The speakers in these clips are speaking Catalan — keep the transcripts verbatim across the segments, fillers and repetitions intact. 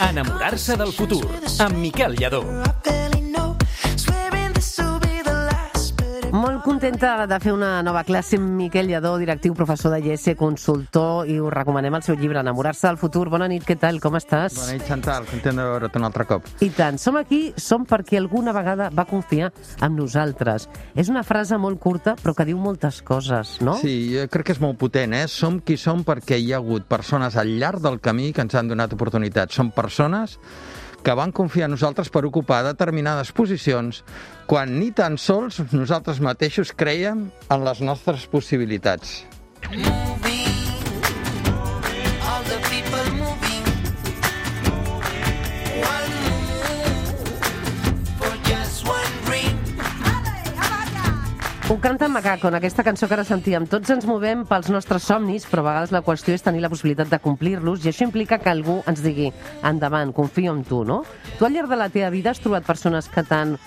Enamorar-se del futur, amb Miquel Lladó. Molt contenta de fer una nova classe amb Miquel Lladó, directiu, professor de I E S, consultor, i us recomanem el seu llibre, Enamorar-se del futur. Bona nit, què tal, com estàs? Bona nit, Chantal, content de veure't un altre cop. I tant, som aquí, som perquè alguna vegada va confiar en nosaltres. És una frase molt curta, però que diu moltes coses, no? Sí, jo crec que és molt potent, eh? Som qui som perquè hi ha hagut persones al llarg del camí que ens han donat oportunitats. Som persones que van confiar en nosaltres per ocupar determinades posicions quan ni tan sols nosaltres mateixos creiem en les nostres possibilitats. Ho canta en Macaco, en aquesta cançó que ara sentíem. Tots ens movem pels nostres somnis, però a vegades la qüestió és tenir la possibilitat de complir-los, i això implica que algú ens digui endavant, confio en tu, no? Tu al llarg de la teva vida has trobat persones que t'han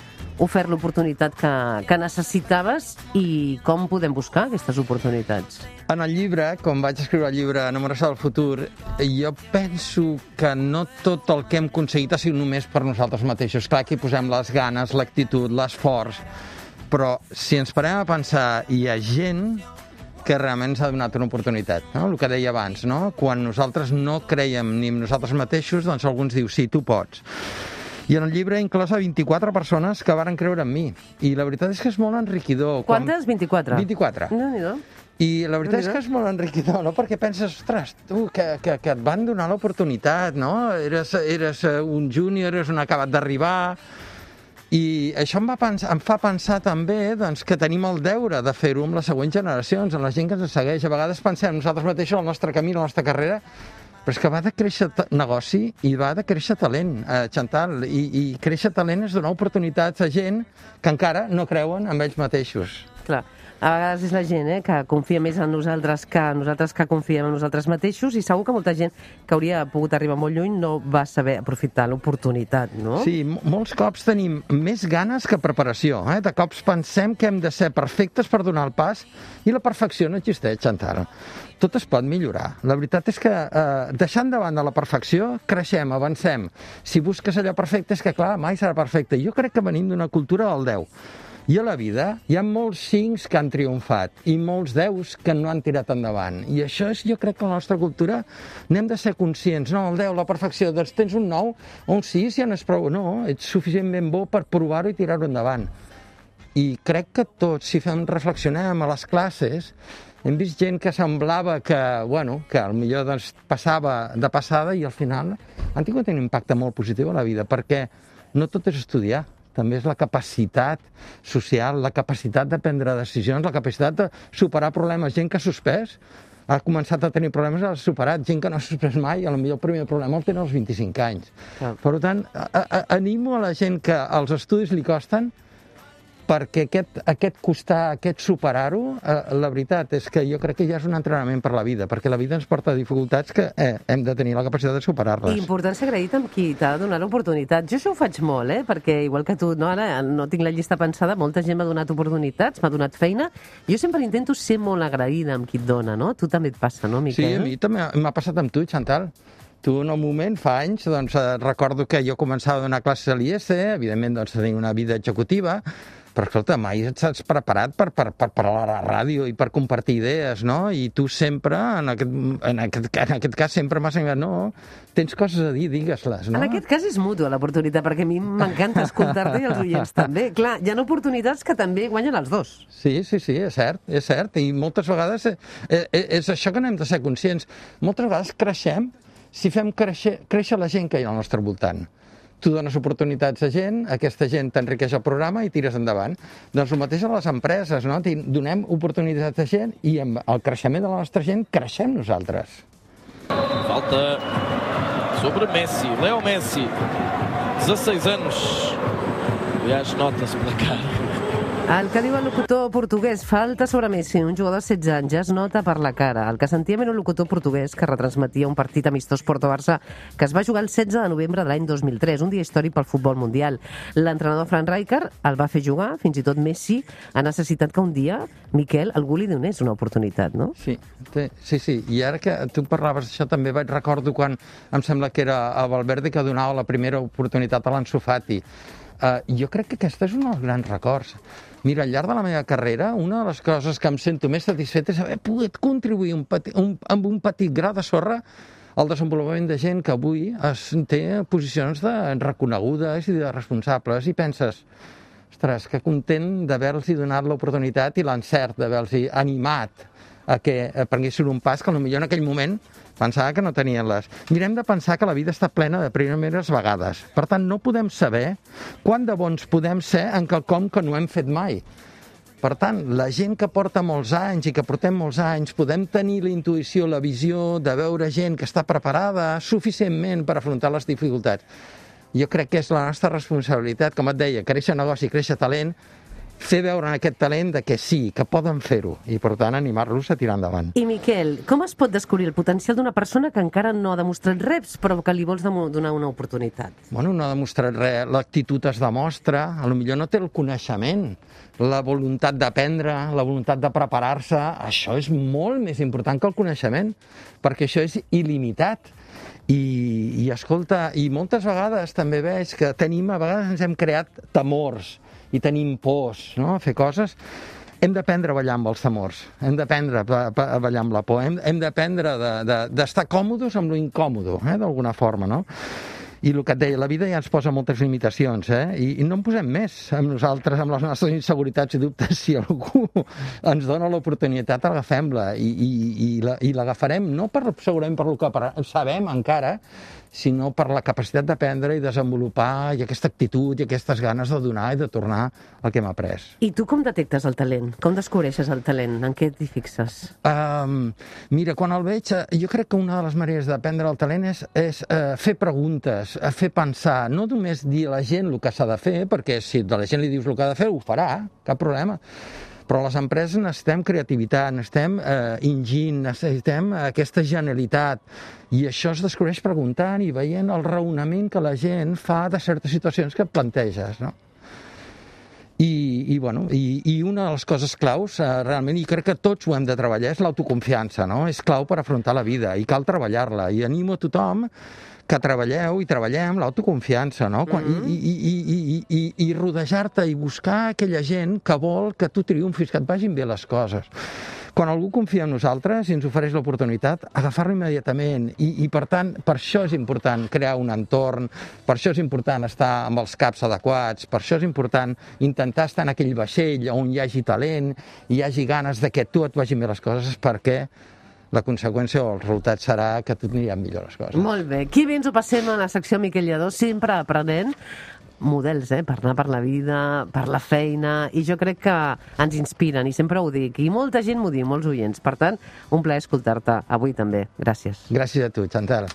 ofert l'oportunitat que, que necessitaves, i com podem buscar aquestes oportunitats? En el llibre, com vaig escriure el llibre Enamorar-se del futur, jo penso que no tot el que hem aconseguit ha sigut només per nosaltres mateixos. Clar, que hi posem les ganes, l'actitud, l'esforç, però si ens parem a pensar, hi ha gent que realment ens ha donat una oportunitat, no? El que deia abans, no? Quan nosaltres no creiem ni en nosaltres mateixos, doncs algú ens diu, sí, tu pots. I en el llibre he inclòs a vint-i-quatre persones que varen creure en mi. I la veritat és que és molt enriquidor. Quantes? vint-i-quatre? vint-i-quatre. No-n'hi-do. I la veritat és que és molt enriquidor, no? Perquè penses, ostres, tu, que, que, que et van donar l'oportunitat, no? Eres, eres un júnior, eres un acabat d'arribar. I això em, va pensar, em fa pensar també doncs, que tenim el deure de fer-ho amb les següents generacions, amb la gent que ens segueix. A vegades pensem nosaltres mateixos, el nostre camí, la nostra carrera, però és que va de créixer negoci i va de créixer talent, eh, Chantal. I, I créixer talent és donar oportunitats a gent que encara no creuen en ells mateixos. Clar. A vegades és la gent eh, que confia més en nosaltres que nosaltres que confiem en nosaltres mateixos, i segur que molta gent que hauria pogut arribar molt lluny no va saber aprofitar l'oportunitat, no? Sí, molts cops tenim més ganes que preparació. Eh? De cops pensem que hem de ser perfectes per donar el pas, i la perfecció no existeix, Chantal. Tot es pot millorar. La veritat és que eh, deixant de banda la perfecció, creixem, avancem. Si busques allò perfecte, és que clar, mai serà perfecte. Jo crec que venim d'una cultura del deu. I a la vida hi ha molts cincs que han triomfat i molts deus que no han tirat endavant. I això és, jo crec que la nostra cultura n'hem de ser conscients. No, el deu, la perfecció, doncs tens un nou o un sis, ja no és prou. No, ets suficientment bo per provar-ho i tirar-ho endavant. I crec que tots, si fem reflexionem a les classes, hem vist gent que semblava que, bueno, que potser doncs, passava de passada, i al final han tingut un impacte molt positiu a la vida, perquè no tot és estudiar. També és la capacitat social, la capacitat de prendre decisions, la capacitat de superar problemes. Gent que ha suspès, ha començat a tenir problemes, ha superat. Gent que no ha suspès mai, potser el primer problema el té als vint-i-cinc anys. Ah. Per tant, a, a, animo a la gent que els estudis li costen, perquè aquest, aquest costar, aquest superar-ho, eh, la veritat és que jo crec que ja és un entrenament per la vida, perquè la vida ens porta dificultats que eh, hem de tenir la capacitat de superar-les. I important ser agraït amb qui t'ha donat l'oportunitat. Jo això ho faig molt, eh? Perquè igual que tu, no, ara no tinc la llista pensada, molta gent m'ha donat oportunitats, m'ha donat feina. Jo sempre intento ser molt agraïda amb qui et dona, no? Tu també et passa, no, Miquel? Sí, a mi també m'ha passat amb tu, Chantal. Tu, en un moment, fa anys, doncs, recordo que jo començava a donar classes a l'I E S, evidentment, doncs, tenia una vida executiva, però, escolta, mai ets preparat per, per, per parlar a la ràdio i per compartir idees, no? I tu sempre, en aquest, en aquest, en aquest cas, sempre m'has ensenyat, no, tens coses a dir, digues-les, no? En aquest cas és mútua l'oportunitat, perquè a mi m'encanta escoltar-te i els oients també. Clar, hi ha oportunitats que també guanyen els dos. Sí, sí, sí, és cert, és cert. I moltes vegades eh, eh, és això que n'hem de ser conscients. Moltes vegades creixem si fem créixer, créixer la gent que hi ha al nostre voltant. Tu dones oportunitats a gent, aquesta gent t'enriqueix el programa i tires endavant. Doncs el mateix a les empreses, no? Donem oportunitats a gent i amb el creixement de la nostra gent creixem nosaltres. Falta sobre Messi, Leo Messi, dezasseis anos. Aliás, nota-se pela cara. El que diu el locutor portuguès, falta sobre Messi, un jugador de setze anys, ja es nota per la cara. El que sentíem era un locutor portuguès que retransmetia un partit amistós Porto-Barça que es va jugar el setze de novembre de l'any dos mil tres, un dia històric pel futbol mundial. L'entrenador Frank Rijkaard el va fer jugar, fins i tot Messi ha necessitat que un dia, Miquel, algú li donés una oportunitat, no? Sí, sí, sí. I ara que tu parlaves d'això, també vaig recordo quan em sembla que era a Valverde que donava la primera oportunitat a l'Ansu Fati. Uh, jo crec que aquesta és un dels grans records. Mira, al llarg de la meva carrera, una de les coses que em sento més satisfet és haver pogut contribuir un petit, un, amb un petit gra de sorra al desenvolupament de gent que avui es té posicions de reconegudes i de responsables, i penses, ostres, que content d'haver-los donat l'oportunitat i l'encert d'haver-los animat a que prenguessin un pas que potser en aquell moment pensava que no tenien les... Mirem de pensar que la vida està plena de primeres vegades. Per tant, no podem saber quant de bons podem ser en quelcom que no hem fet mai. Per tant, la gent que porta molts anys i que portem molts anys podem tenir la intuïció, la visió de veure gent que està preparada suficientment per afrontar les dificultats. Jo crec que és la nostra responsabilitat, com et deia, créixer negoci, créixer talent, fer veure en aquest talent de que sí, que poden fer-ho, i per tant animar-los a tirar endavant. I Miquel, com es pot descobrir el potencial d'una persona que encara no ha demostrat res, però que li vols donar una oportunitat? Bueno, no ha demostrat res, l'actitud es demostra, a lo millor no té el coneixement, la voluntat d'aprendre, la voluntat de preparar-se, això és molt més important que el coneixement, perquè això és il·limitat. I, i escolta, i moltes vegades també veig que tenim, a vegades ens hem creat temors, i tenim pors, no?, a fer coses. Hem d'aprendre a ballar amb els temors, hem d'aprendre a ballar amb la por, hem, hem d'aprendre d'estar de, de, còmodes amb lo incòmodo, eh, d'alguna forma, no? I el que et deia, la vida ja ens posa moltes limitacions, eh? I, i no en posem més amb nosaltres, amb les nostres inseguretats i dubtes. Si algú ens dona l'oportunitat, agafem-la i, i, i, la, i l'agafarem, no per, segurament per el que sabem encara, sinó per la capacitat d'aprendre i desenvolupar i aquesta actitud i aquestes ganes de donar i de tornar el que hem après. I tu com detectes el talent? Com descobreixes el talent? En què t'hi fixes? Um, mira, quan el veig, jo crec que una de les maneres d'aprendre el talent és, és uh, fer preguntes, uh, fer pensar, no només dir a la gent el que s'ha de fer, perquè si a la gent li dius el que ha de fer, ho farà, cap problema. Però a les empreses necessitem creativitat, necessitem eh, enginy, necessitem aquesta genialitat. I això es descobreix preguntant i veient el raonament que la gent fa de certes situacions que et planteges, no? I, i, bueno, i, i una de les coses claus, eh, realment, i crec que tots ho hem de treballar, és l'autoconfiança, no? És clau per afrontar la vida i cal treballar-la. I animo a tothom que treballeu i treballem l'autoconfiança, no? Quan, mm-hmm. I, i, i, i, i, i rodejar-te i buscar aquella gent que vol que tu triomfis, que et vagin bé les coses. Quan algú confia en nosaltres i ens ofereix l'oportunitat, agafar-lo immediatament. I, I, per tant, per això és important crear un entorn, per això és important estar amb els caps adequats, per això és important intentar estar en aquell vaixell on hi hagi talent, hi hagi ganes de que tu et vagin bé les coses, perquè la conseqüència o el resultat serà que tot aniran millor les coses. Molt bé. Qui bé ens ho passem a la secció Miquel Lladó, sempre aprenent models, eh? Per anar per la vida, per la feina, i jo crec que ens inspiren, i sempre ho dic, i molta gent m'ho diu, molts oients. Per tant, un plaer escoltar-te avui també. Gràcies. Gràcies a tu, Chantal.